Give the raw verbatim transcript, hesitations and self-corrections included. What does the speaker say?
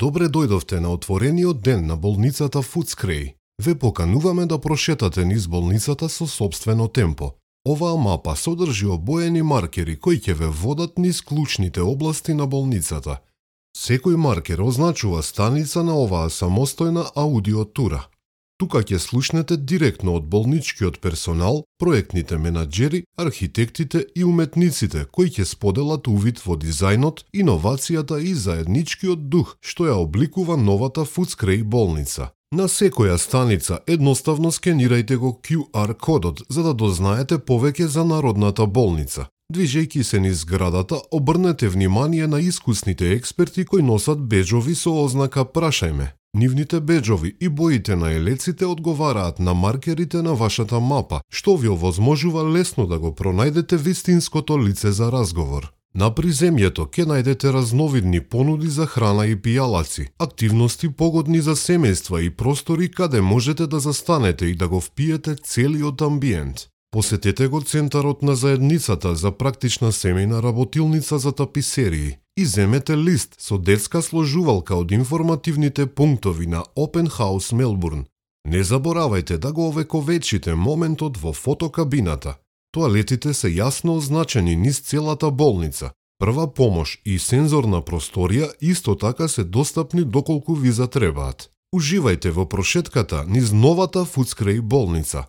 Добре дојдовте на отворениот ден на болницата Фудскреј. Ве покануваме да прошетате низ болницата со собствено темпо. Оваа мапа содржи обоени маркери кои ќе ве водат низ клучните области на болницата. Секој маркер означува станица на оваа самостојна аудиотура. Тука ќе слушнете директно од болничкиот персонал, проектните менаџери, архитектите и уметниците кои ќе споделат увид во дизајнот, иновацијата и заедничкиот дух што ја обликува новата Фудскреј болница. На секоја станица едноставно скенирајте го кју ар кодот за да дознаете повеќе за Народната болница. Движејќи се низ зградата, обрнете внимание на искусните експерти кои носат беџови со ознака "Прашајме". Нивните беџови и боите на елеците одговараат на маркерите на вашата мапа, што ви овозможува лесно да го пронајдете вистинското лице за разговор. На приземјето ќе најдете разновидни понуди за храна и пијалаци, активности погодни за семејства и простори каде можете да застанете и да го впиете целиот амбиент. Посетете го центарот на заедницата за практична семејна работилница за таписерии и земете лист со детска сложувалка од информативните пунктови на Open House Melbourne. Не заборавајте да го овековечите моментот во фотокабината. Тоалетите се јасно означени низ целата болница. Прва помош и сензорна просторија исто така се достапни доколку ви затребаат. Уживајте во прошетката низ новата Фудскреј болница.